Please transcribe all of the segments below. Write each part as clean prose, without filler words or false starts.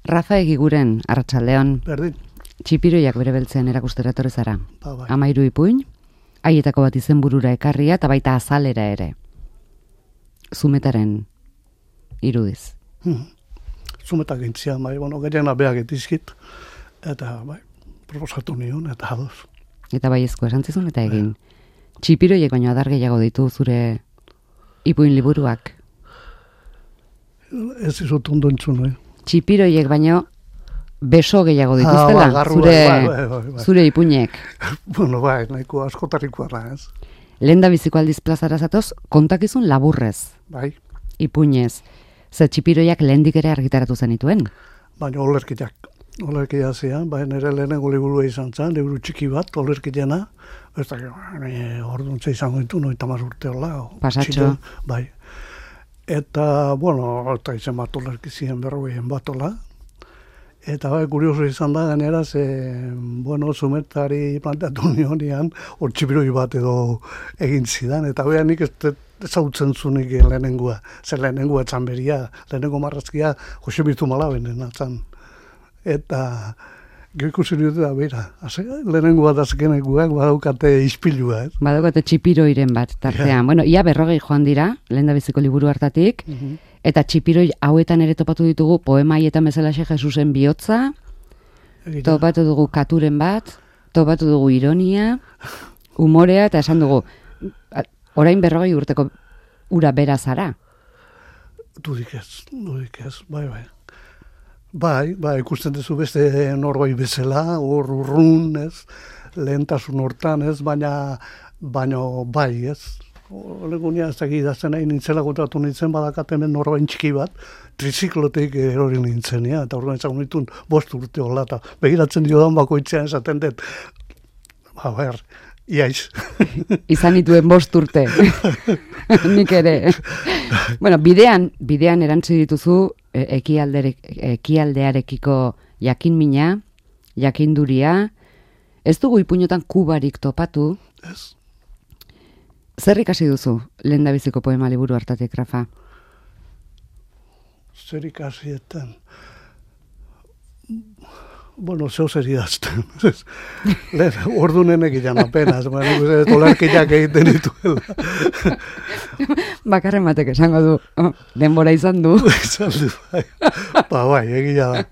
Rafa Egiguren, arratsaldeon. Berdin. Txipiroiak bere beltzean erakustera etorri zara. Bai. 13 ipuin, haietako bat izenburura ekarria eta baita azalera ere. Zumetaren irudiz. Zumetak gintzia, gehiena behak etizkit, eta proposatu nion, eta ados. Eta baiezko esantzizun eta egin. Txipiroiek baino adar gehiago ditu zure ipuin liburuak. Ez izut ondo entzun, Txipiroiek baino beso gehiago dituztela, zure ipuinek. Nahiko askotarikoa da, ez? Lehen da biziko aldiz plazara zatoz, kontakizun laburrez. Bai. Ipuinez. Ze txipiroiak lehendik ere argitaratu zenituen? Baina olerkiak zian, nire lehenengo liburua izan zen, liburu txiki bat, olerkiena, ez da, orduntza izango ditu, 90 urte hola. Pasatxo. Bai. Eta, eta izan bat olerkizien berrogeien bat hola. Eta kurioso izan da, gainera, zumetari planteatu nionean, hor txipiroi bat edo egin zidan, eta nik ez zautzen zunik lehenengoa. Zer lehenengoa etzan beria, lehenengo marrazkia Jose Birtu Malabenen atzan. Eta gero ikusi dut da, lehenengoa dazkenekoak badaukate ispilua, ez? Badaukate txipiroiren bat, tartean. Yeah. Ia 40 joan dira, lehen da biziko liburu hartatik, eta txipiroi hauetan ere topatu ditugu poema haietan bezalaxe Jesusen bihotza, topatu dugu katuren bat, topatu dugu ironia, umorea, eta esan dugu, orain 40 urteko ura bera zara. Dudik ez, bai. Bai, ikusten duzu beste norbait bezala, hor urrun, ez, lehentasun hortan, ez, baina bai, ez. Olegunia ez dakit idazten nahi nintzela gotatu nintzen badakatemen norbait txiki bat, triziklotik erori nintzen, eta orduan ezagun nituen 5 urte hola, eta begiratzen diodan bakoitzean esaten dut, iaiz. Izan nituen 5 urte. Nik ere. Bidean erantzi dituzu ekialdearekiko jakinmina, jakinduria. Ez dugu ipuinotan kubarik topatu. Ez. Zer ikasi duzu lehendabiziko poema liburu hartatik, Rafa? Zer ikasietan? Zeu zer idazten. Ordunenek ilan apenas, olarkiak egiten dituela. Bakarren batek esango du, denbora izan du. Bai, egia da.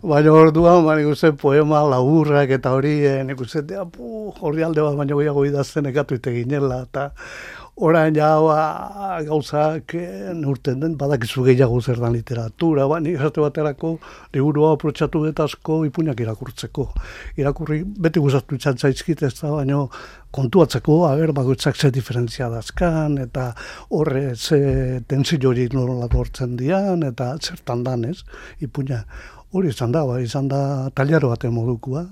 Baina orduan, poema laburrak eta hori, nik uste, hori alde bat baina gehiago idazten ekatu iteginela, eta orain gauzak neurten den, badakizu gehiago zer da literatura, nik esate baterako liburua aprotxatu dut asko ipuinak irakurtzeko. Irakurri beti gustatu izan zaizkit ez da, baina kontuatzeko, bakoitzak ze diferentzia dazkan, eta horre ze tensio hori nola dortzen dian, eta zertan dan ez, ipuina. Hori izan da tailaro baten modukua,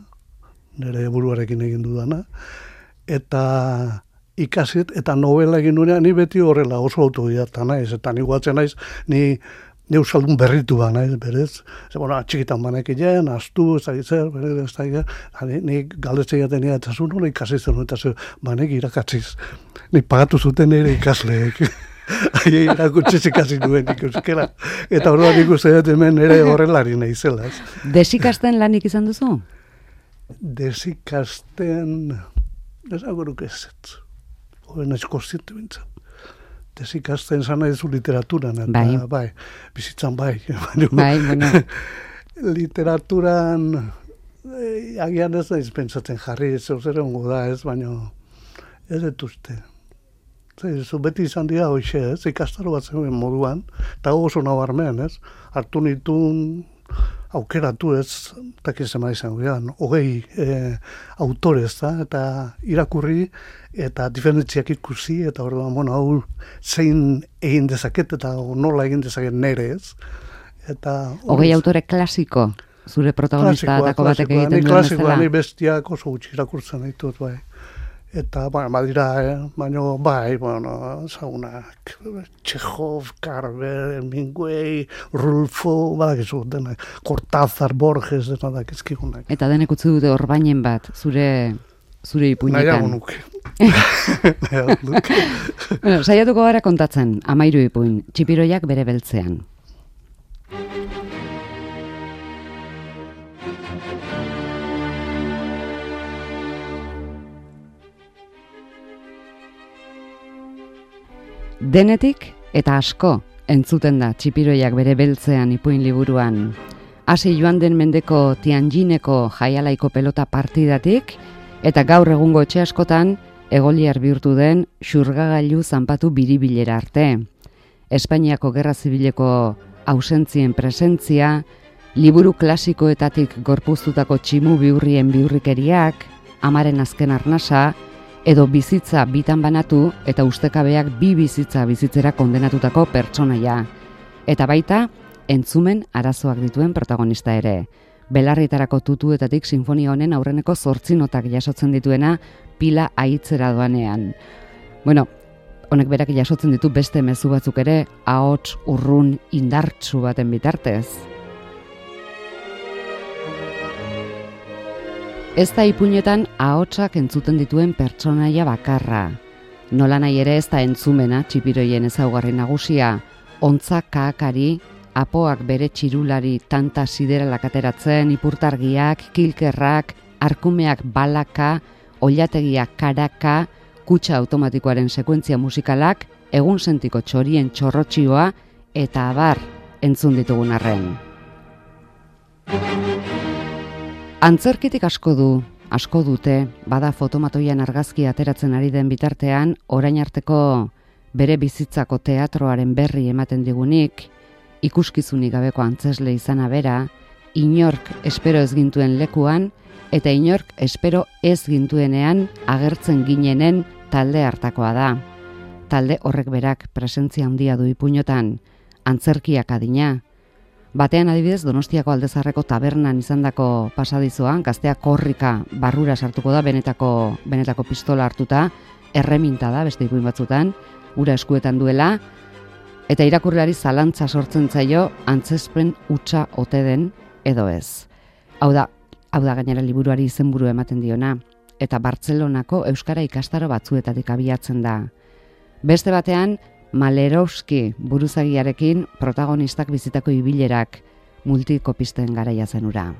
nire buruarekin egin dudana, eta ikasit, eta novela egin duenean, ni beti horrela oso autodidakta naiz, eta ni guatzen naiz, ni euskaldun berritu ba naiz, berez. Txikitan banekilean, astu, ez dakit zer, berez, ez dakit, ni galdetzea jaten eta zuen hori ikasi zen, eta zuen, banek irakatziz. Ni pagatu zuten nire ikasleek. Irakutziz ikasi duen ikuskera. Eta orduan ikusten dut hemen ere horrelari nahizela. Desikasten lanik izan duzu? Desikasten, ez agoruk ez. Horen ez konstiente bintzen. Desikasten zan nahi zu literaturan. Eta, bai, bizitzan bai. Literaturan, agian ez naiz pentsatzen jarri, ez zer ongo da ez, baina ez dut uste. Beti izan dira hoxe, ez, ikastaro bat zen moduan, eta oso nabarmen, ez, hartu nituen aukeratu ez, takizema izan gehan, 20 autorez, eta irakurri, eta diferentziak ikusi, eta orduan, hau zein egin dezaket, eta nola egin dezaket nere, ez. 20 autore klasiko, zure protagonista atako batek egiten duen bezala? Klasikoa, ni bestiak oso gutxi irakurtzen ditut, bai. Eta, badira, zaunak, Txehov, Carver, Hemingway, Rulfo, badakizu, denak, Cortázar, Borges, denak ezkigunak. Eta denek utzi dute orbainen bat, zure ipuinetan. Nahiago nuke. Saiatuko gara kontatzen, 13 ipuin, txipiroiak bere beltzean. Denetik eta asko entzuten da Txipiroiak bere beltzean ipuin liburuan. Hasi joan den mendeko Tianjineko jaialaiko pelota partidatik eta gaur egungo etxe askotan egoliar bihurtu den xurgagailu zanpatu biribilera arte. Espainiako Gerra Zibileko ausentzien presentzia, liburu klasikoetatik gorpuztutako tximu bihurrien bihurrikeriak, amaren azken arnasa, edo bizitza bitan banatu eta ustekabeak bi bizitza bizitzera kondenatutako pertsonaia. Eta baita, entzumen arazoak dituen protagonista ere. Belarritarako tutuetatik sinfonia honen aurreneko 8 notak jasotzen dituena pila aitzera doanean. Bueno, honek berak jasotzen ditu beste mezu batzuk ere, ahots urrun indartsu baten bitartez. Ez da ipuinetan ahotsak entzuten dituen pertsonaia bakarra. Nola nahi ere ez da entzumena Txipiroien ezaugarri nagusia, ontza kaakari, apoak bere txirulari tanta sideralak ateratzen, ipurtargiak, kilkerrak, arkumeak balaka, oilategiak karaka, kutxa automatikoaren sekuentzia musikalak, egun sentiko txorien txorrotxioa eta abar entzun ditugun arren. Antzerkitik asko dute, bada fotomatoian argazki ateratzen ari den bitartean, orain arteko bere bizitzako teatroaren berri ematen digunik, ikuskizunik gabeko antzesle izana bera, inork espero ez gintuen lekuan, eta inork espero ez gintuenean agertzen ginenen talde hartakoa da. Talde horrek berak presentzia handia du ipuinotan, antzerkiak adina. Batean adibidez Donostiako Aldezarreko tabernan izandako pasadizoan, gaztea korrika barrura sartuko da benetako pistola hartuta, erreminta da beste ipuin batzutan, ura eskuetan duela, eta irakurleari zalantza sortzen zaio antzezpen hutsa ote den edo ez. Hau da gainera liburuari izenburu ematen diona, eta Bartzelonako euskara ikastaro batzuetatik abiatzen da. Beste batean, Malerovski buruzagiarekin protagonistak bizitako ibilerak multikopisten garaia zenura.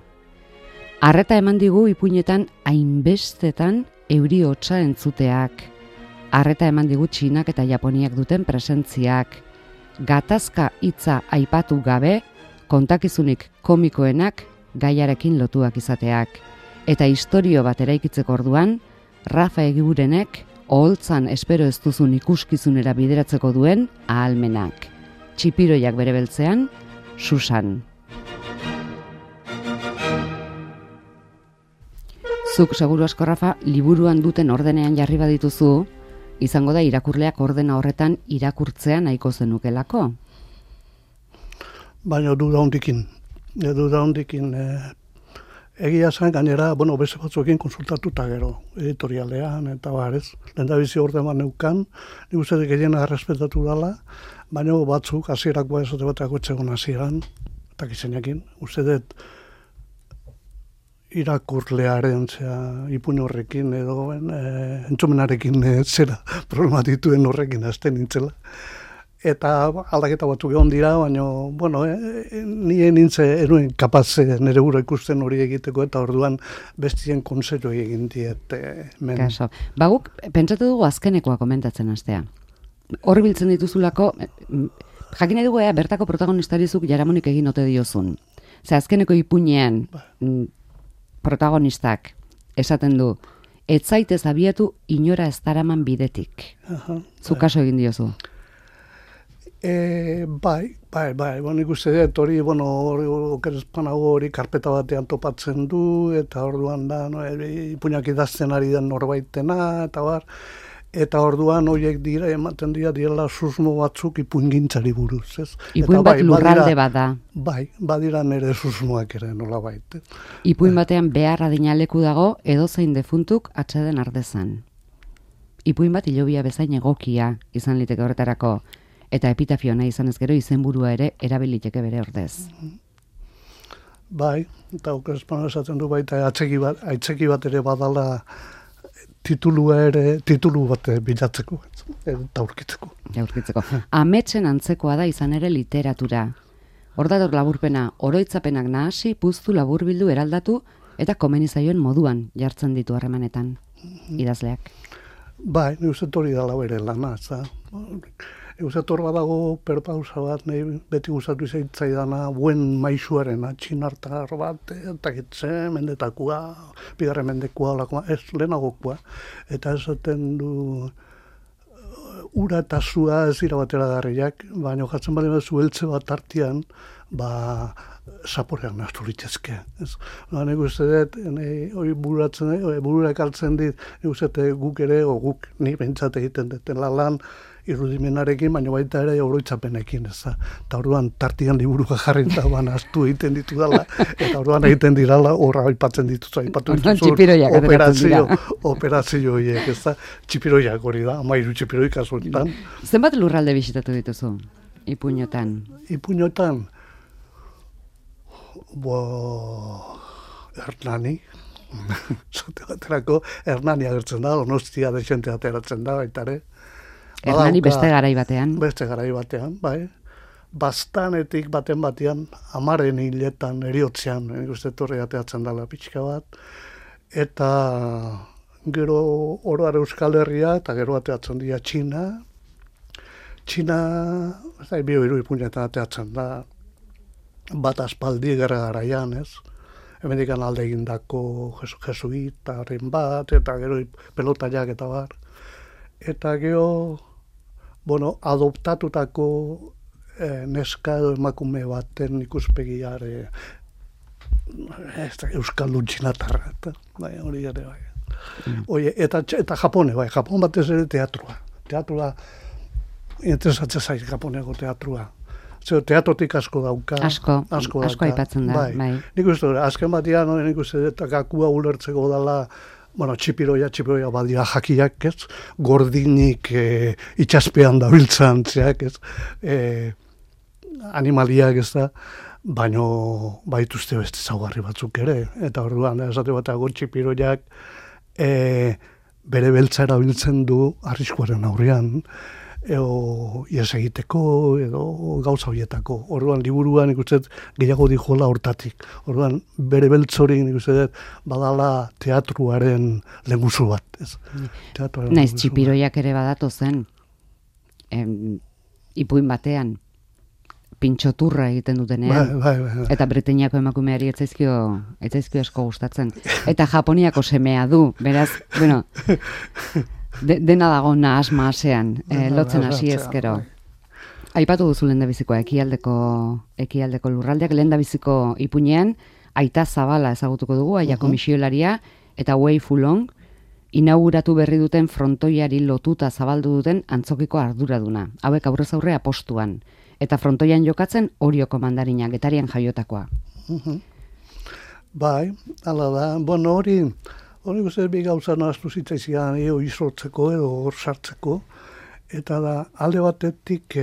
Arreta eman digu ipuinetan hainbestetan euri hotsa entzuteak. Arreta eman digu Txinak eta Japoniak duten presentziak. Gatazka hitza aipatu gabe, kontakizunik komikoenak gaiarekin lotuak izateak. Eta istorio bat eraikitzeko orduan, Rafa Egigurenek oholtzan espero ez duzun ikuskizunera bideratzeko duen ahalmenak. Txipiroiak bere beltzean, Susan. Zuk seguru asko, Rafa, liburuan duten ordenean jarri badituzu, izango da irakurleak ordena horretan irakurtzea nahiko zenukelako? Baina duda hondikin. Egia zen gainera, beste batzuekin konsultatuta gero, editorialean eta barez. Lehendabizi ordenan neukan, nik uste gehiena errespetatu dela, baina batzuk hasierakoa ezote batako etxegon hasieran, eta gizenekin, uste dut irakurlearen ipuin horrekin edo entzumenarekin zera problema dituen horrekin hasten nintzela. Eta aldaketa batzuk egon dira, baina, nien enuen kapaz nire gura ikusten hori egiteko, eta orduan bestien konsero egin diet. Kaso. Baguk, pentsatu dugu azkenekoa komentatzen hastea. Hor biltzen dituzulako, jakin nahi dugu bertako protagonistarizuk jaramonik egin ote diozun. Azkeneko ipuinean protagonistak esaten du, ez zaitez abiatu inora ez daraman bidetik. Zu kaso egin diozu. Bai, ikuste dut hori, okerezpanago hori karpeta batean topatzen du, eta orduan da, ipuinak idazten ari den norbaitena, eta bar, eta orduan horiek dira, ematen direla susmo batzuk ipuingintzari buruz, ez? Ipuin bat lurralde bada. Bai, badira nire susmoak ere nola baita. Ipuin batean behar adinaleku dago, edozein defuntuk atxeden ardezan. Ipuin bat hilobia bezain egokia izan liteke horretarako, eta epitafio nahi izan ez gero izenburua ere erabiliteke bere ordez. Bai, eta okerezpana esaten du baita aitzeki bat ere badala titulu bat bilatzeko eta aurkitzeko. Ametsen antzekoa da izan ere literatura. Hor dator laburpena, oroitzapenak nahasi, puztu, laburbildu, eraldatu eta komenizaioen moduan jartzen ditu harremanetan idazleak. Bai, ni uste hori dala bere lana, Eusetor badago perpausa bat, nahi beti gustatu zaidana, buen maisuarena, txinartar bat, eta gitze, mendetakoa, bigarren mendekoa, olakoa, ez lehenagokoa, eta esaten du, ura eta zua ez dira batera garriak, baina jatzen bali bat zueltze bat artian, zaporean nahaztu litzezke. Nik uste dut, hori bururak hartzen dit, nik uste guk ere, o guk nik behintzat egiten duten lan irudimenarekin, baina baita ere oroitzapenekin, eta orduan tartian liburuak jarri eta nahaztu egiten ditu dala, eta orduan egiten dirala, horra aipatzen dituzu, operazio horiek, txipiroiak hori da, 13 txipiroi kasuetan. Zenbat lurralde bisitatu dituzu, Ipuñotan? Ipuñotan? Hernani, zate baterako, Hernani agertzen da, Donostia desente ateratzen da, baitare. Hernani beste garai batean? Beste garai batean, bai. Bastanetik batean, 10 hiletan, eriotzean, uste torre ateratzen dela pixka bat, eta gero oroar Euskal Herria, eta gero ateratzen dira Txina, bio Ipuñetan ateratzen da, bat aspaldi garaian, ez? Hemendikan alde egindako jesuitaren bat, eta gero pelotaiak eta bar. Eta gero, adoptatutako neska edo emakume baten ikuspegiare Euskaldun txinatarra, eta hori ere bai. Eta Japone, bai, Japon batez ere teatrua. Teatrua, interesatzen zaiz Japoneako teatrua. Teatrotik asko dauka. Asko aipatzen da, bai. Nik uste, azken batean, nik uste, eta gakua ulertzeko dela, txipiroia badira jakiak, ez? Gordinik itxaspean dabiltzan, zeak, ez? Animaliak, ez da, baino baituzte beste zaugarri batzuk ere. Eta orduan, esate batago txipiroiak bere beltza erabiltzen du arriskuaren aurrean, ies egiteko edo gauza horietako. Orduan liburuan ikusten gehiago dijola hortatik. Orduan bere beltzori ikusten badala teatruaren lehengusu bat. Naiz txipiroiak ere badatu zen ipuin batean pintxoturra egiten dutenean. Bai. Eta Britainiako emakumeari etzaizkio asko gustatzen. Eta Japoniako semea du, beraz, dena dago nahas maasean, lotzen hasi ezkero. Aipatu duzu lehendabizikoa ekialdeko lurraldeak, lehendabiziko Ipuñean, Aita Zabala ezagutuko dugu, Aiako misiolaria, eta Wei Fulong, inauguratu berri duten frontoiari lotuta zabaldu duten antzokiko arduraduna. Hauek aurrez aurre apostuan. Eta frontoian jokatzen Orioko mandarina, Getarian jaiotakoa. Bai, ala da. Hori guzti bi gauza nahaztu zitzaizian izortzeko edo hor sartzeko. Eta da, alde batetik,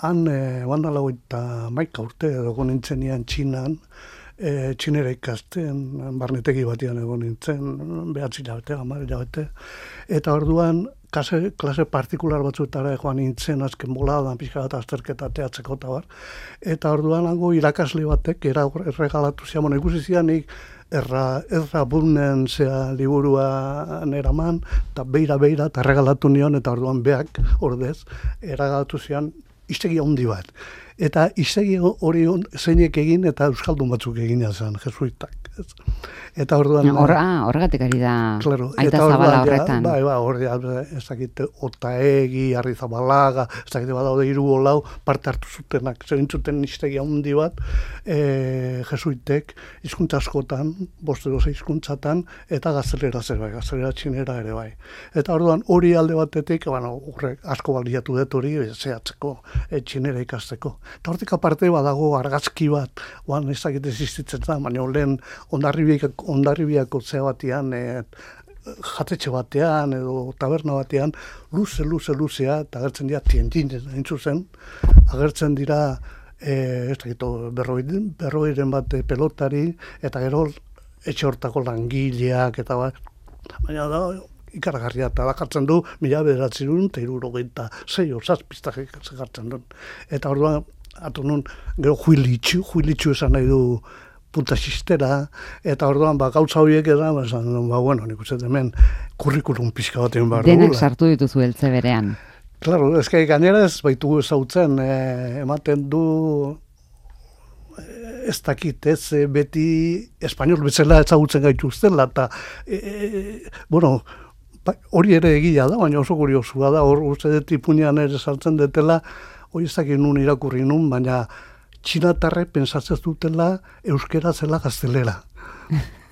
han bandala 11 urte edo nintzenian Txinan, Txinera ikasten, barnetegi batean egon nintzen, 9 hilabete, 10 hilabete. Eta orduan, klase partikular batzuetara joan nintzen azken boladan, pixka bat azterketa teatzeko eta bar. Eta orduan hango irakasle batek erregalatu zian, ikusi zianik erra bunen zea liburua neraman, eta beira, eta erregalatu nion, eta orduan beak, ordez, erregalatu zian iztegi handi bat. Eta iztegi hori zeinek egin, eta euskaldun batzuk egin zen, jesuitak. Eta orduan... Horregatik ari da Aita Zabala horretan. Bai, hori ez dakite Otaegi, Arrizabalaga, ez dakite badaude 3 parte hartu zutenak, zerintzuten iztegi handi bat, jesuitek, hizkuntza askotan, 5 hizkuntzatan, eta gaztelera zer bai, gaztelera txinera ere bai. Eta orduan hori alde batetik, horrek asko baliatu dut hori, zehatzeko, txinera ikasteko. Eta hortik aparte badago argazki bat, ez dakite existitzen da, baina lehen Hondarribiako zea batean, jatetxe batean edo taberna batean, luzea, eta agertzen dira tientin, entzuzen, agertzen dira berroiren bat pelotari, eta gero etxe hortako langileak, eta baina da, ikaragarria, eta da jartzen du, 1976 zazpiztak jartzen du. Eta orduan, gero juilitxu esan nahi du punta xistera, eta orduan gauza horiek edan, nik uste hemen kurrikulum pixka batean behar dugula. Denak sartu dituzu heltze berean. Claro, eske gainera ez baitugu ezautzen, ematen du ez dakit, ez beti espainol bezala ezagutzen gaituztela, eta, bueno, hori ere egia da, baina oso kuriosua da, hor uste dut ipunean ere saltzen detela, hori ez dakit nun irakurri nun, baina txinatarrek pentsatzen dutela euskera zela gaztelera.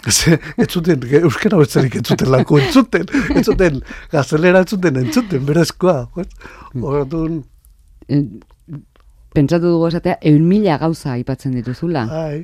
Ez zuten, euskera betzerik ez zuten lako, ez zuten, gaztelera ez zuten, berezkoa. Horretun... Pentsatu dugu esatea, 100.000 gauza aipatzen dituzula. Bai.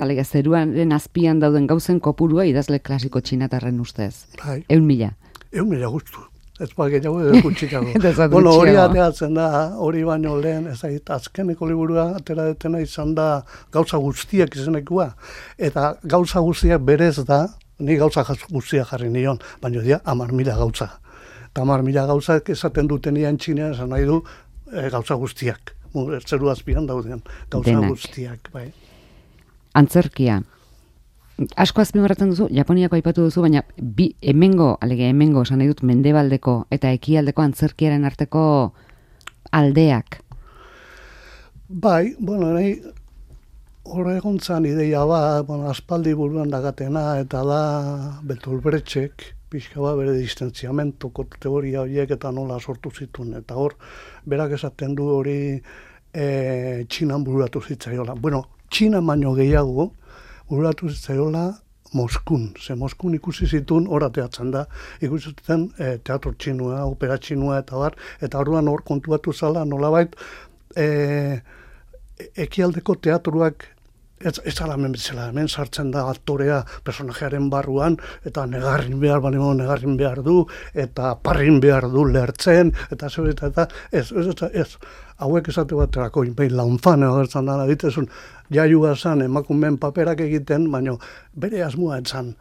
Alega, zeruaren azpian dauden gauzen kopurua idazle klasiko txinatarren ustez. Bai. 100.000. 100.000 guztu. Ez gehiago edo gutxikago. Bueno, hori ateratzen da, hori baino lehen, ez da, azkeneko liburua atera detena izan da gauza guztiak izenekua. Eta gauza guztiak berez da, ni gauza guztiak jarri nion, baina dira 10.000 gauza. Eta 10.000 gauzak esaten dutenian txinean, esan nahi du gauza guztiak. Zeru azpian dauden gauza Denak. guztiak. Bai. Antzerkia. Asko azpimarratzen duzu, Japoniako aipatu duzu, baina hemengo esan nahi dut mendebaldeko eta ekialdeko antzerkiaren arteko aldeak. Bai, bueno, nahi horregontzan ideia bueno, aspaldi buruan dagatena, eta da Bertolt Brechtek, pixka bere distentziamentoko teoria horiek eta nola sortu zituen. Eta hor, berak esaten du hori Txinan bururatu zitzaiola. Bueno, Txinan baino gehiago bururatu zitzaiola Moskun. Ze Moskun ikusi zituen hor ateatzen da. Ikusi zuten teatro txinua, opera txinua eta bar. Eta orduan hor kontuatu zala nolabait ekialdeko teatruak ez ala hemen bezala, hemen sartzen da aktorea personajearen barruan, eta negarrin behar du, eta parrin behar du lertzen, eta ez, hauek esate baterako, behin launfan agertzen dara, ditezun, jaiua zan emakumeen paperak egiten, baina bere asmoa etzan,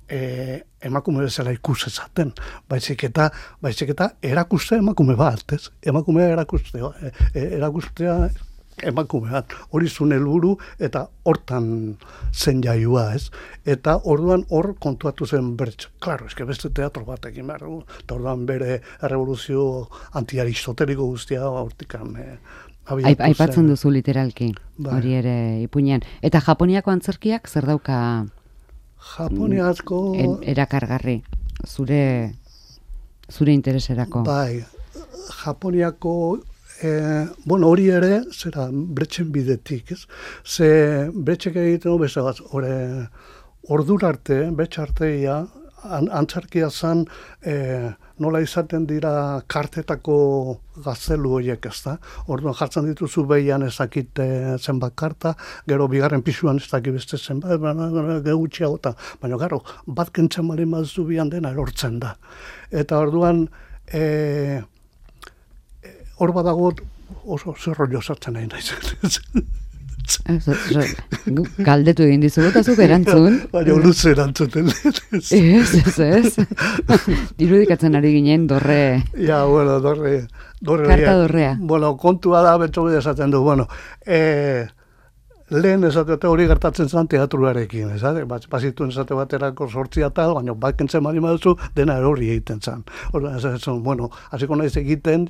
emakume bezala ikusezaten, baizik eta erakuste emakume bat, ez? Emakumea erakustea emakumean, hori zuen helburu eta hortan zen jaiua, ez? Eta orduan hor kontuatu zen Brecht. Claro, eske beste teatro batekin behar du, eta orduan bere revoluzio antiaristoteliko guztia hortikan aipatzen duzu literalki, hori ere ipuinean. Eta Japoniako antzerkiak zer dauka Japoniako erakargarri, zure intereserako? Bai, Japoniako bueno, hori ere, zera, Brechten bidetik, ez? Ze Brechtek egiten bezagaz, ordura arte, Brecht arteia, antzerkia zan, nola izaten dira kartetako gaztelu horiek, ez da? Orduan jartzen dituzu behian ezakit zenbat karta, gero bigarren pisuan ez dakit beste zenbat, gehutxiagotan, baina gero, bat kentzen bali mazu bian dena erortzen da. Eta orduan, hor badago oso zerrollo sartzen nahi naiz. Galdetu egin dizugu eta zuk erantzun. Baina luze erantzuten. Ez. Irudikatzen ari ginen dorre. Ja, bueno, dorre. Karta dorrea. Bueno, kontua da, betxo bide esaten du. Bueno, lehen esate hori gertatzen zen teatruarekin, esate? Bazituen esate baterako 8 tal, baina bat kentzen mani maduzu, dena hori egiten zen. Horren, esaten, bueno, hasiko naiz egiten,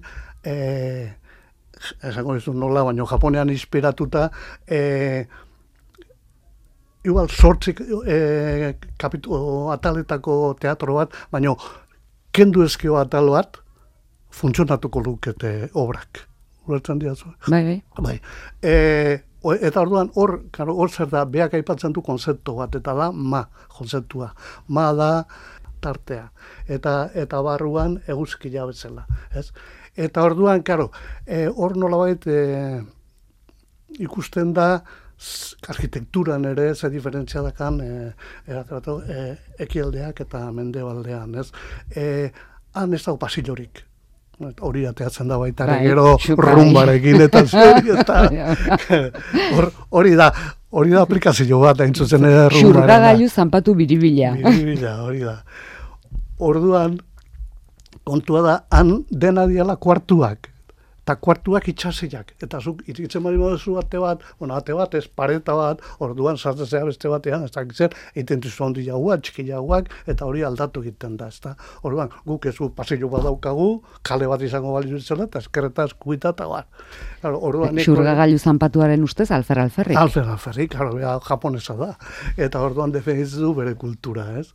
esango dizu nola, baina Japonean inspiratuta, igual 8 ataletako teatro bat, baina kendu ezkio atal bat, funtzionatuko lukete obrak. Ulertzen diazu? Bai. Eta orduan hor zer da, beak aipatzen du konzeptu bat, eta da konzeptua. Ma da tartea. Eta barruan eguzkia bezala. Ez? Eta orduan, hor nolabait ikusten da, arkitekturan ere ze diferentzia dakan ekialdeak eta mendebaldean. Ez? Han ez dago pasillorik. Hori ateatzen da baita, gero rumbarekin eta hori da aplikazio bat hain zuzen ere rumbaren. Xurgagailu zanpatu biribila. Hori da. Orduan, kontua da, han dena diala kuartuak. eta kuartuak itxasiak. Eta zuk iritzen bali moduzu ate bat, ez pareta bat, orduan sartzea beste batean, ez dakitzen, egiten duzu handi jauak, txiki jauak, eta hori aldatu egiten da, ezta. Orduan, guk ez pasillo bat daukagu, kale bat izango bali zela, eta eskerretaz kuita eta bar. Xurgagailu zanpatuaren ustez, alferrik. Alferrik, japonesa da. Eta orduan defenditzen du bere kultura, ez.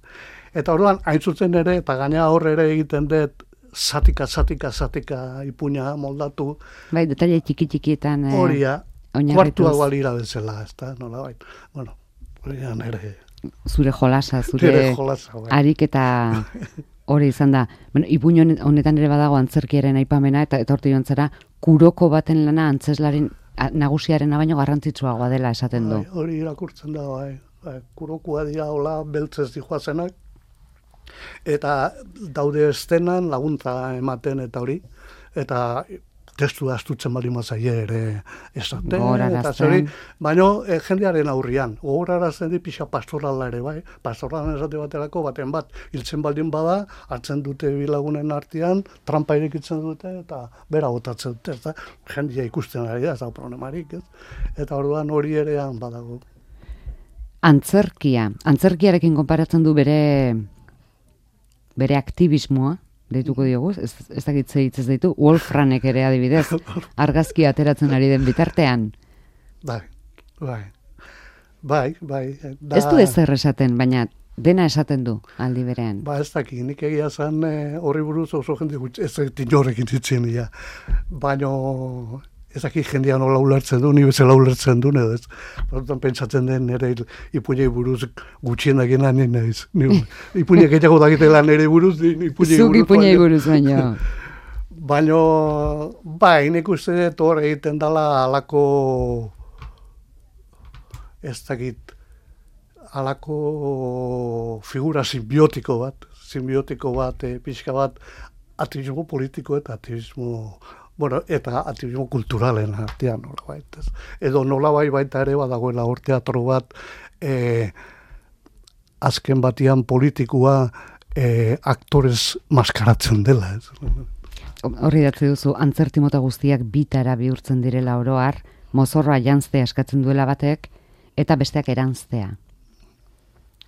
Eta orduan, hain zuzen ere, eta gaina horre ere egiten dut, zatika ipuña moldatu. Bai, detaile txiki-txikietan horia, kuartuak balira bezala, ez da, nola bai. Bueno, horia nere. Zure jolasa, bai. Harik eta hori izan da. Bueno, ipuño honetan ere badago antzerkiaren aipamena, eta horti joan zara, kuroko baten lana antzeslaren nagusiaren baino garrantzitsuagoa dela esaten du. Hori irakurtzen da, bai. Kurokua dira hola beltzez dijoazenak, eta daude estenan laguntza ematen eta hori, eta testu astutzen bali mazaie ere esaten, eta zori, baina jendearen aurrian, gogorarazten di pixa pastorala ere, bai, pastoralan esate baterako baten bat, hiltzen baldin bada, hartzen dute bilagunen artean, trampa irekitzen dute, eta bera botatzen dute, eta jendea ikusten ari da, ez da problemarik, ez? Eta orduan hori erean badago. Antzerkiarekin konparatzen du bere aktivismoa, deituko diogu, ez dakitze hitz ez ditu, Wolfranek ere adibidez, argazki ateratzen ari den bitartean. Bai. Ez du ezer esaten, baina dena esaten du aldi berean. Ez dakit, nik egia zen horri buruz oso jende gutxi, ez dakit jorrekin ditzen dira, baina ez dakit jendea nola ulertzen du, ni bezala ulertzen du, edo ez. Hortan pentsatzen den nire ipuñei buruz gutxien dagena nien naiz. Ipuñei gehiago dakitela nire buruz, ipuñei buruz. Zuk ipuñei buruz baina. Baina, bai, nik uste dut hor egiten dela alako, ez dakit, alako figura simbiotiko bat, pixka bat, aktivismo politiko eta aktivismo eta aktivismo kulturalen artean, nolabait. Edo nolabait baita ere badagoela hor teatro bat, azken batian politikua aktorez maskaratzen dela. Horri datze duzu, antzerti mota guztiak bitara bihurtzen direla oroar, mozorroa janztea eskatzen duela batek, eta besteak eranztea.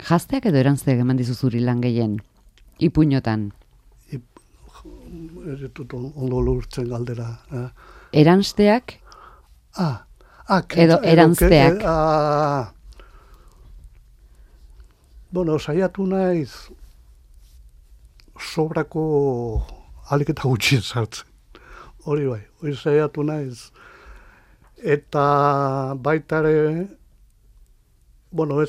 Jazteak edo eranzteak eman dizu zuri lan gehien, ipuñotan? Eretut ondo lurtzen galdera. Eranzteak? Edo eranzteak? Bueno, saiatu naiz sobrako alik eta gutxi sartzen. Hori bai, hori saiatu naiz. Eta baitare, bueno,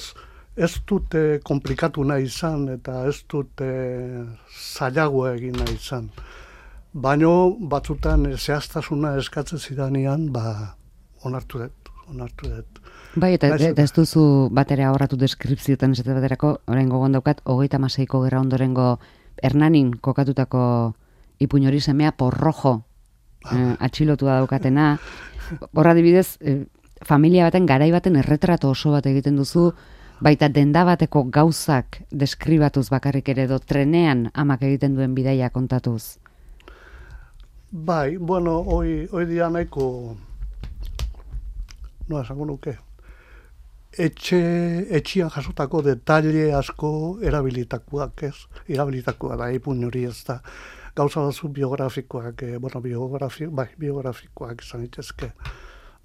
ez dute komplikatu nahi izan, eta ez dute zailagoa egin nahi izan. Baina batzutan zehaztasuna eskatzen zidanean, onartu dut. Bai, eta ez duzu batera ahorratu deskripzioetan esate baterako, orain gogon daukat, 36ko gerra ondorengo Hernanin kokatutako ipuñori semea Porrojo atxilotua daukatena. Horra adibidez, familia baten, garai baten erretrato oso bat egiten duzu, baita denda bateko gauzak deskribatuz bakarrik ere edo trenean amak egiten duen bidaia kontatuz. Bai, bueno, hoi dia nahiko, esango nuke, etxian jasotako detalle asko erabilitakoak da, ipuin hori ez da. Gauza batzu biografikoak, biografikoak izan itezke.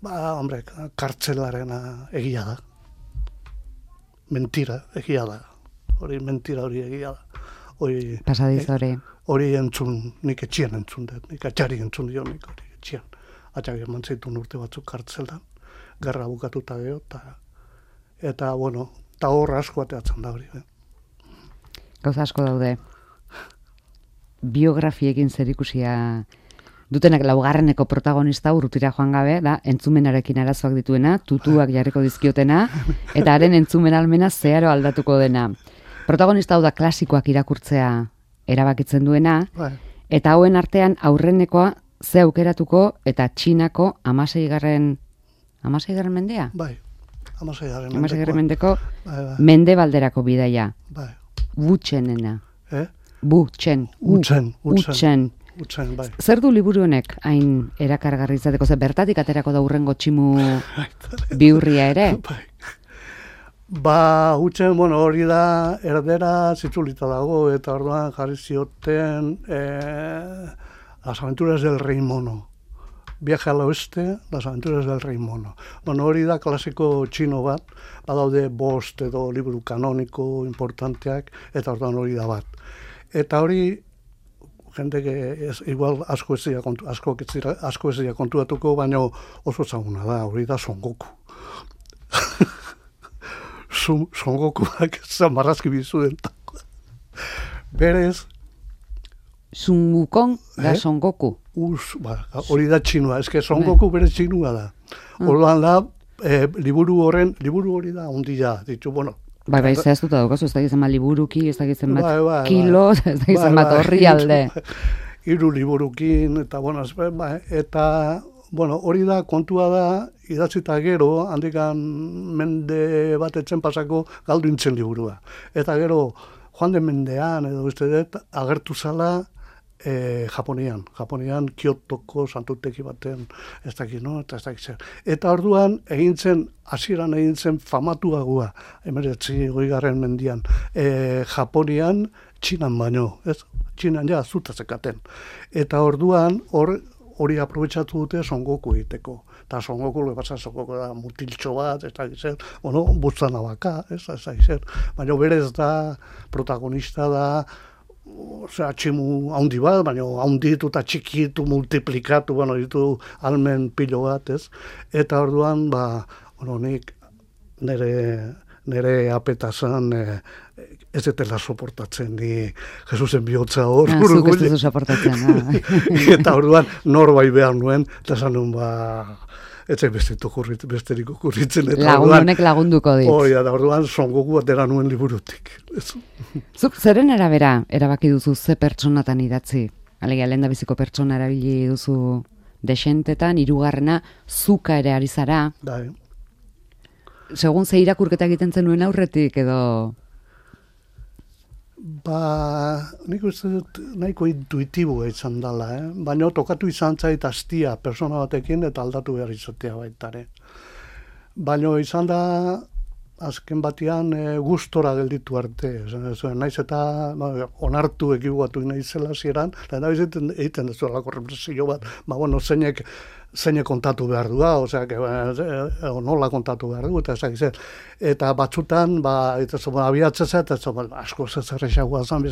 Hombre, kartzelarena egia da. Mentira, egia da. Mentira hori egia da. Pasadiz hori. Hori entzun, nik etxian entzun dut, nik atxari entzun dio nik hori etxian. Atxari eman zaitun urte batzuk kartzelan, gerra bukatuta geho, eta, bueno, eta horra asko ateatzen da hori. Gauza asko daude. Biografiekin zerikusia dutenak laugarreneko protagonista urrutira joan gabe, da, entzumenarekin arazoak dituena, tutuak jarriko dizkiotena, eta haren entzumen almena zeharo aldatuko dena. Protagonista hau da klasikoak irakurtzea erabakitzen duena, eta hauen artean aurrenekoa ze aukeratuko eta Txinako 16. mendea? Bai, 16. mendeko mendebalderako bidaia. Butxenena. Butxen. utzen, bai. Zer du liburu honek hain erakargarri izateko, ze bertatik aterako da hurrengo tximu bihurria ere? Bai. Ba, utzen, bueno, hori da, erdera zitzulita dago, eta orduan jarri zioten Las aventuras del rey mono. Viaje al oeste, Las aventuras del rey mono. Bueno, hori da klasiko txino bat, badaude bost edo liburu kanoniko importanteak, eta orduan hori da bat. Eta hori, jende igual asko ez dira kontuatuko, baina oso ezaguna da, hori da Son Goku. Son Gokuak zamarrazki bizuen. Berez, Sun Wukong da Son Goku. Hori da txinua, eske Son Goku bere txinua da. Orduan da, liburu hori da ondia, ditu, bueno. Bai, zehaztuta daukazu, ez da gizan bat liburuki, ez da gizan bat kilo, ez da gizan bat horri alde. Hiru liburukin, eta, bueno, hori da, kontua da, idatzita gero, handikan mende bat etzen pasako galdu intzen liburua. Eta gero, joan den mendean, edo uste dut, agertu zala Japonian Kyotoko santuteki baten, ez dakit, no? Eta ez dakit zer. Eta orduan, hasieran egin zen famatuagoa, 19. mendian, Japonian, Txinan baino, ez? Txinan ja, zuta zekaten. Eta orduan, hori aprobetxatu dute Son Goku egiteko. Eta Son Goku da mutiltxo bat, ez dakit zer, butzana baka, ez dakit zer. Baina berez da, protagonista da, osea, tximu haundi bat, baina haunditu eta txikitu, multiplikatu, ditu almen pilo bat, ez? Eta orduan, nik nire apetazan ez etela soportatzen, ni Jesusen bihotza hor. Zuk ez duzu soportatzen. Eta orduan, norbait behar nuen, eta esan nuen, etzai besterik okurritzen. Lagun honek lagunduko dit. Da orduan Son Goku atera nuen liburutik. Zuk zeren arabera erabaki duzu ze pertsonatan idatzi? Alegia, lehendabiziko pertsona erabili duzu desentetan, hirugarrena zuka ere ari zara. Bai. Segun ze irakurketa egiten zenuen aurretik edo... Nik uste dut nahiko intuitiboa izan dela, baina tokatu izan zait astia persona batekin eta aldatu behar izatea baitare. Baina izan da, azken batean gustora gelditu arte. Naiz eta onartu ekibatu naizela zieran, eta egiten dezu alako represio bat, zeinek kontatu behar du, nola kontatu behar du, eta batzutan, abiatzeza, eta asko zezerrexagoa zan,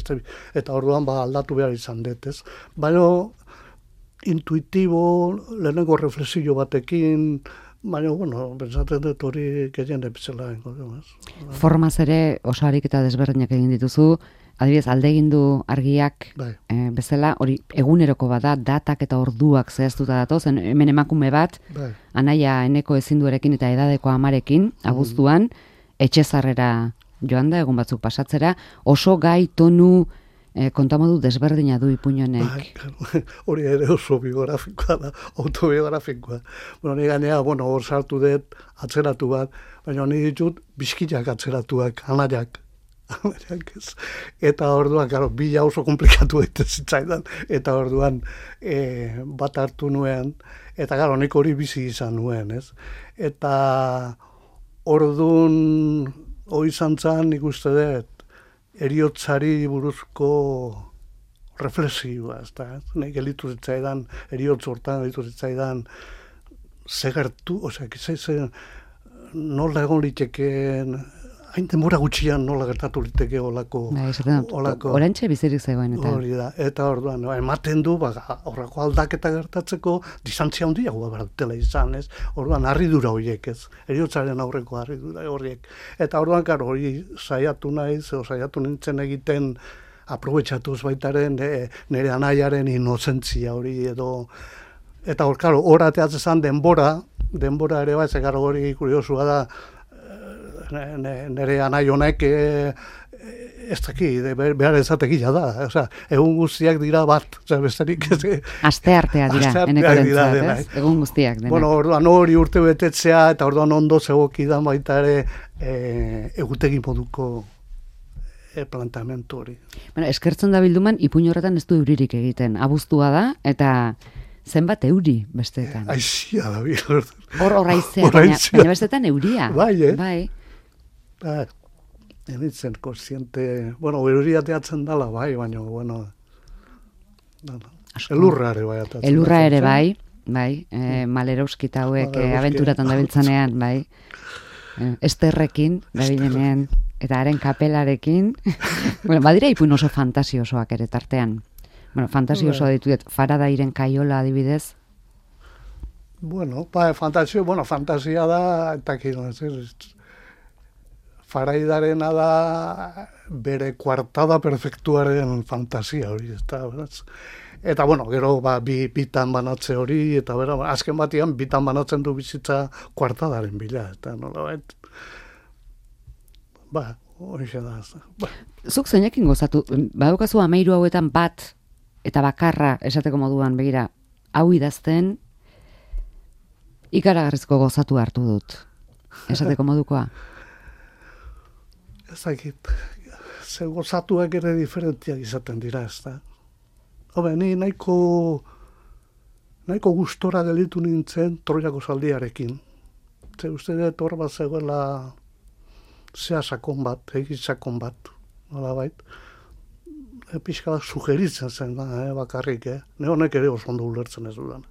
eta orduan aldatu behar izan dut, ez? Baina, intuitibo, lehenengo reflexio batekin, baina, pentsatzen dut hori gehien epizela. Formaz ere, oso ariketa desberdinak egin dituzu, adibidez, aldegindu argiak bezala, hori eguneroko bada, datak eta orduak zehaztuta datoz, hemen emakume bat, anaia eneko ezinduarekin eta edadeko amarekin, abuztuan, etxezarrera joan da, egun batzuk pasatzera, oso gai tonu kontamodu desberdina du ipuñonek. Hori ere oso biografikoa da, autobiografikoa. Ni gainea, hor sartu dut, atzeratu bat, baina ni ditut bizkiak atzeratuak, anaiak. Eta orduan, bila oso komplikatu egiten zitzaidan, eta orduan bat hartu nuen, eta nik hori bizi izan nuen, ez? Eta orduan hori izan zan, nik uste dut, eriotzari buruzko reflexioa, ez da? Nik elitu zitzaidan, eriotz hortan elitu zitzaidan, zegertu, nola egon liteken, hain denbora gutxian nola gertatu liteke olako... Orantxe bizirik zegoen, eta... Hori da, eta orduan, ematen du, horrako aldaketa gertatzeko, distantzia handiagoa bertela izan, ez? Orduan, harridura horiek, ez? Eriotzaren aurreko harridura horiek. Eta orduan, hori saiatu nintzen egiten, aprobetxatuz baitaren, nire anaiaren inozentzia hori, edo... Eta hor ateatzen denbora ere bai, zekar hori kuriosua da, nire anai honek ez daki, behar ezatekila da. Egun guztiak dira bat. Asteartea dira, enekorentzat, ez? Egun guztiak. Orduan hori urte betetzea, eta orduan ondo zegokidan baita ere egutegi moduko planteamendu hori. Bueno, eskertzen da bilduman, ipuin horretan ez du euririk egiten. Abuztua da, eta zenbat euri besteetan. Aizia da bil. Hor aizea, baina besteetan euria. Bai, Bai. Enitzen kontziente, bueno, euria teatzen dala, bai, baina, bueno, elurra ere bai. Elurra ere bai, Malerowskita hauek abenturatan dabiltzanean, bai. Esterrekin, dabilenean, eta haren kapelarekin. Bueno, badira ipuin oso fantasiosoak ere tartean. Bueno, fantasiosoa dituet, Faradairen kaiola adibidez. Bueno, fantasia da, eta kino, Faraidarena da bere kuartada perfektuaren fantasia hori, eta bueno, gero bitan banatze hori, eta azken batian bitan banatzen du bizitza kuartadaren bila, eta nolabait, hori da. Zuk zeinekin gozatu, badukazu 13 hauetan bat, eta bakarra esateko moduan, begira, hau idazten, ikaragarrizko gozatu hartu dut, esateko modukoa. Ezakit, ze gozatuak ere diferentiak izaten dira, ez da. Ni nahiko gustora gelitu nintzen Troiako zaldiarekin. Ze uste dut hor bat zegoela zea sakon bat, egin sakon bat, nolabait. Pixka bat sugeritzen zen, bakarrik, ne honek ere oso ondo ulertzen ez dudan.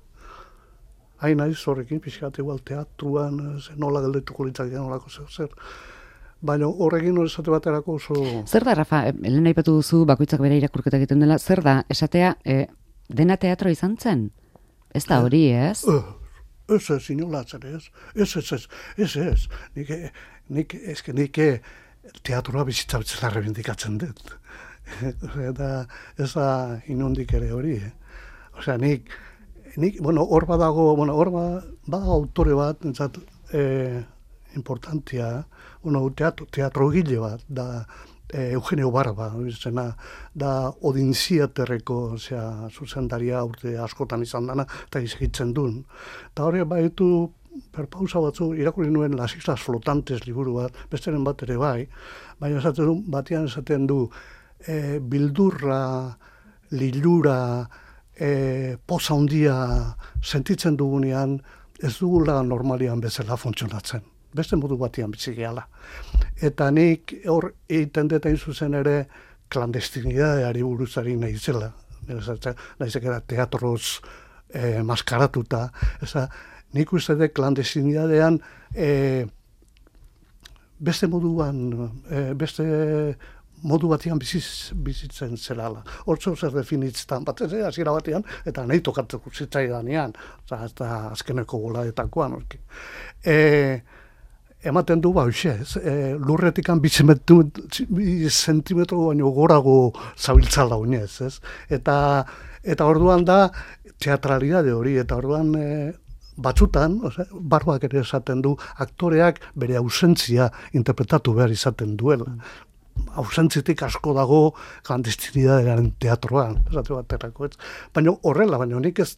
Hain naiz horrekin, pixka bat igual teatruan, nola geldetuko litzak nolako zer. Baina horrekin esate baterako oso... Zer da, Rafa, lehen aipatu duzu, bakoitzak bere irakurketa egiten dela, zer da, esatea, dena teatro izan zen? Ez da hori, ez? Ez, inolatzen, ez. Nik teatroa bizitza betzela rebindikatzen dut. Eta ez da inondik ere hori, Osea, nik, hor badago autore bat, entzat, importantia, teatrogile bat, da Eugenio Barba, da Odinziaterreko zuzendaria urte askotan izan dana, eta izagitzen duen. Eta hori baitu perpausa batzu, irakurri nuen Las Islas Flotantes liburu bat, besteren bat ere bai, baina batean esaten du, bildurra, lilura, poza handia sentitzen dugunean, ez dugula normalian bezala funtzionatzen. Beste modu batian bitzigeala. Eta nik hor egiten dut hain zuzen ere klandestinidadeari buruzari nahi zela. Naizek era teatroz maskaratuta. Nik uste dut klandestinidadean beste modu batian bizitzen zelala. Hortzo zer definitzen bat, hasiera batean, eta nahi tokatzeko zitzaidanean, eta azkeneko golaetakoan. Ematen du lurretikan 2 zentimetro baino gorago zabiltzala oinez, ez? Eta orduan da teatralidade hori, eta orduan batzutan, Barbak ere esaten du, aktoreak bere ausentzia interpretatu behar izaten duela. Ausentzitik asko dago klandestinidadearen teatroan, esate baterako, ez? Baina horrela, nik ez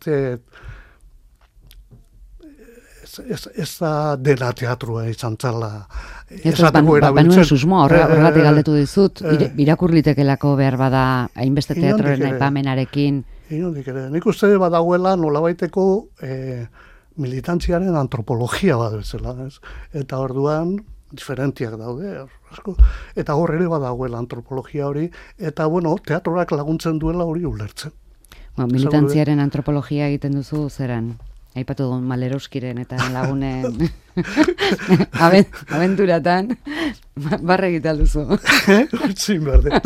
da dela teatrua izan zala. Banuen susmo, horregatik galdetu dizut, irakurlitekelako behar bada hainbeste teatroren aipamenarekin. Nik uste badagoela nolabaiteko militantziaren antropologia bat bezala, eta orduan diferentiak daude, eta hor ere badagoela antropologia hori, eta teatrorak laguntzen duela hori ulertzen. Militantziaren antropologia egiten duzu zeran? Aipatu duen Malerowskiren eta lagunen abenturatan barre egital duzu. Zin berde.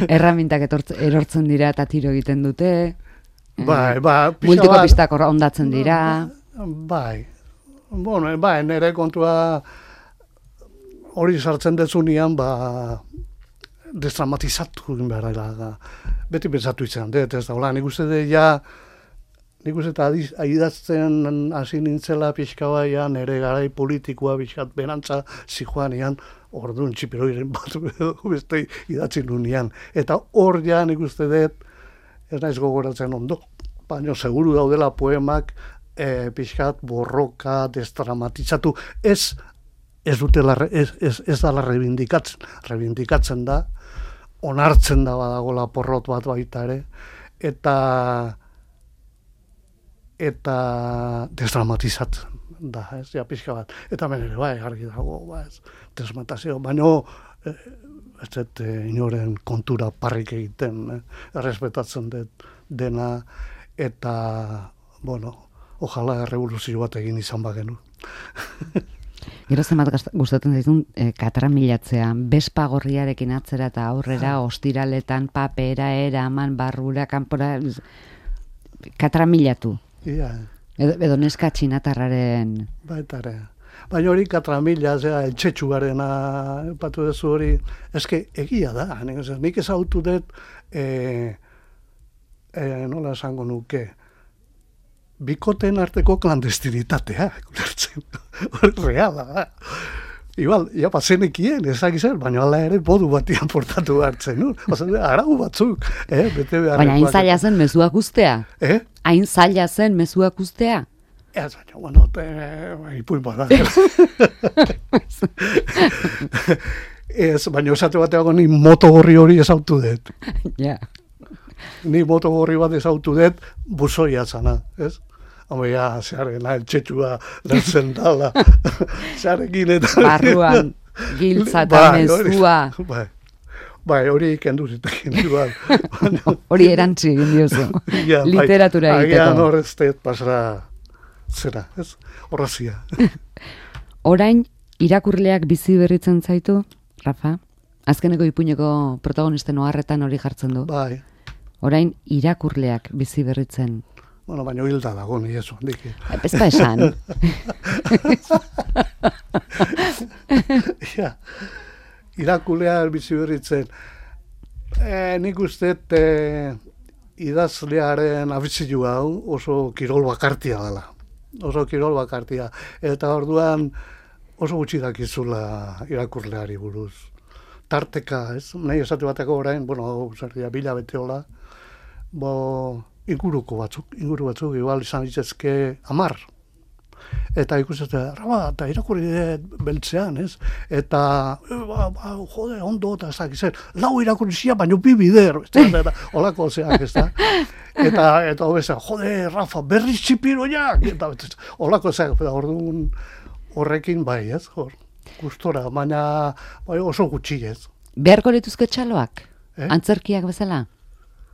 Erramintak erortzen dira eta tiro egiten dute. Multiko pistak ondatzen dira. Bai, nire kontua hori sartzen dezunean, destramatizatu behar. Beti pensatu izan, ez da, nik uste nik uste eta idazten hasi nintzela pixka baian, ere garai politikoa pixkat berantza zijoanean, orduan txipiroiren bat beste idatzi nunean. Eta hor ja nik uste dut, ez naiz gogoratzen ondo, baina seguru daudela poemak pixkat borroka, destramatizatu, ez ez dala reivindikatzen da, onartzen da badagola porrot bat baita ere, eta desdramatizatzen da, ez, ja, pixka bat. Eta ere, bai, argi dago, ez, desmatazio, baina ez dut inoren kontura parrik egiten, errespetatzen dut dena, eta, bueno, ojala revoluzio bat egin izan bagenu. Gero zenbat gustatzen zaizun katramilatzea, bespa gorriarekin atzera eta aurrera, ostiraletan, papera, eraman, barrura, kanpora, katramilatu. Ia. Edo neska txinatarraren... Baitare. Baina hori katramila, etxetxugarena, patu dezu hori, eske egia da, nik ezautu dut, nola esango nuke, bikoten arteko klandestinitatea, reala da. Igual, ja pasenekien, ezakizen, baina ala ere bodu batian portatu hartzen, no? Arau batzuk, bete beharrekoak. Baina hain zaila zen mezuak ustea? Hain zaila zen mezuak ustea? Ez, baina, bueno, ipuin bada. Ez, baina esate bateago ni motogorri hori ezautu dut. Ja. Ni motogorri bat ezautu dut, buzoia zana, ez? Home, ja, zeharena, eltsetxua lantzen dala, zeharekin eta... Barruan, giltza eta mezua. Bai, hori ikendu zitekin. Hori erantzi egin diozu, literatura egiteko. Agian horreztet pasara zera, ez? Horrazia. Orain, irakurleak bizi berritzen zaitu, Rafa? Azkeneko ipuineko protagonisten oharretan hori jartzen du. Bai. Orain, irakurleak bizi berritzen. Bueno, baina hilda dago, ni eso, diki. Ez da esan. Ja, irakurleak bizi berritzen. Nik usteet idazlearen abizilu hau oso kirol bakartia dela. Oso kirol bakartia. Eta orduan oso gutxi dakizula irakurleari buruz. Tarteka, ez? Nahi esate bateko orain, bueno, zerria bila beteola, inguru batzuk, igual izan ditzezke 10. Eta ikusten, Raba, eta irakurri beltzean, ez? Eta, jode, ondo, eta ezakizen, 4 irakurri zia, baina 2 bider, holako zeak, ez da? Eta hobeza, jode, Rafa, berriz txipiroiak, eta holako zeak, orduan horrekin bai, ez? Gustora, baina oso gutxi, ez? Beharko lituzke txaloak? Antzerkiak bezala?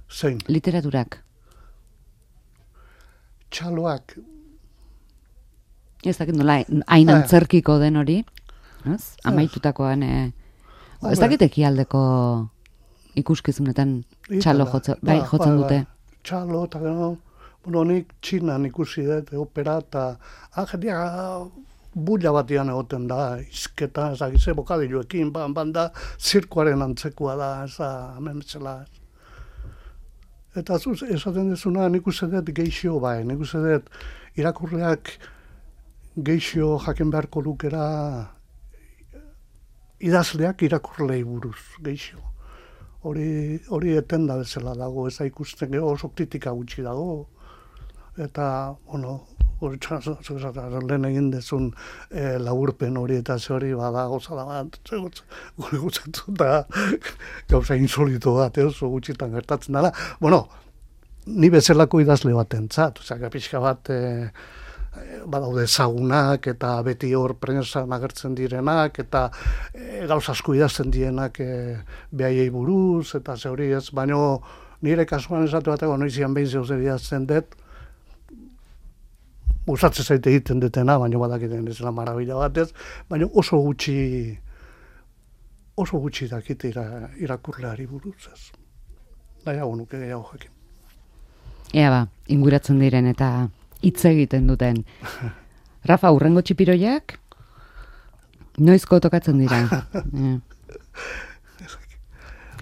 Zein? Literaturak? Txaloak. Ez dakit nola, hain antzerkiko den hori, amaitutakoan, ez dakit ekialdeko ikuskizunetan txalo jotzen dute. Txalo, eta gero, nik Txinan ikusi dut, opera, eta jendia bulla batian egoten da, izketa, ezagize, bokadiluekin, banda, zirkuaren antzekoa da, ez da, hemen betzela. Eta esaten dezuna, nik uste dut geixo bai, nik uste dut irakurleak geixo jaken beharko lukera idazleak irakurlei buruz, geixo. Hori etenda bezala dago, ez da ikusten, oso kritika gutxi dago. Eta, bueno, hori lehen egin dezun laburpen hori eta ze hori bada gozada bat, gure gutzatu da gauza insolito bat, oso gutxitan gertatzen dela. Bueno, ni bezalako idazle bat entzat, pixka bat badaude ezagunak eta beti hor prensan agertzen direnak eta gauza asko idazten direnak behaiei buruz eta ze hori ez, baina nire kasuan esatu bateko noizian behin zeuzer idazten dut, gustatzen zaite egiten dutena, baina badakiten ez la marabila batez, baina oso gutxi dakite irakurleari buruz ez. Nahiago nuke gehiago jakin. Ea ba, inguratzen diren eta hitz egiten duten. Rafa, hurrengo txipiroiak? Noizko tokatzen dira?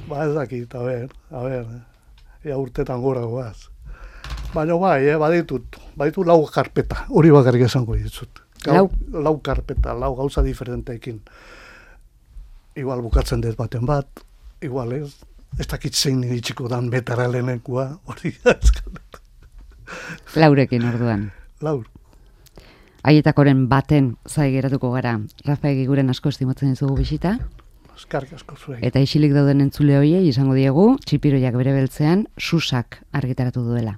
Ba ez dakit, a ber, ea urtetan gora goaz. Baina bai, baditu 4 karpeta, hori bakarrik esango ditut. 4 karpeta, 4 gauza diferenteekin. Igual bukatzen dut baten bat, igual ez dakit zein iritsiko dan betara lehenekua, hori da eskaleta. 4 orduan. 4. Haietakoren baten zai geratuko gara. Rafa Egiguren asko estimatzen dizugu bisita. Eskarrik asko zure. Eta isilik dauden entzule horiei izango diegu, Txipiroiak bere beltzean, Susak argitaratu duela.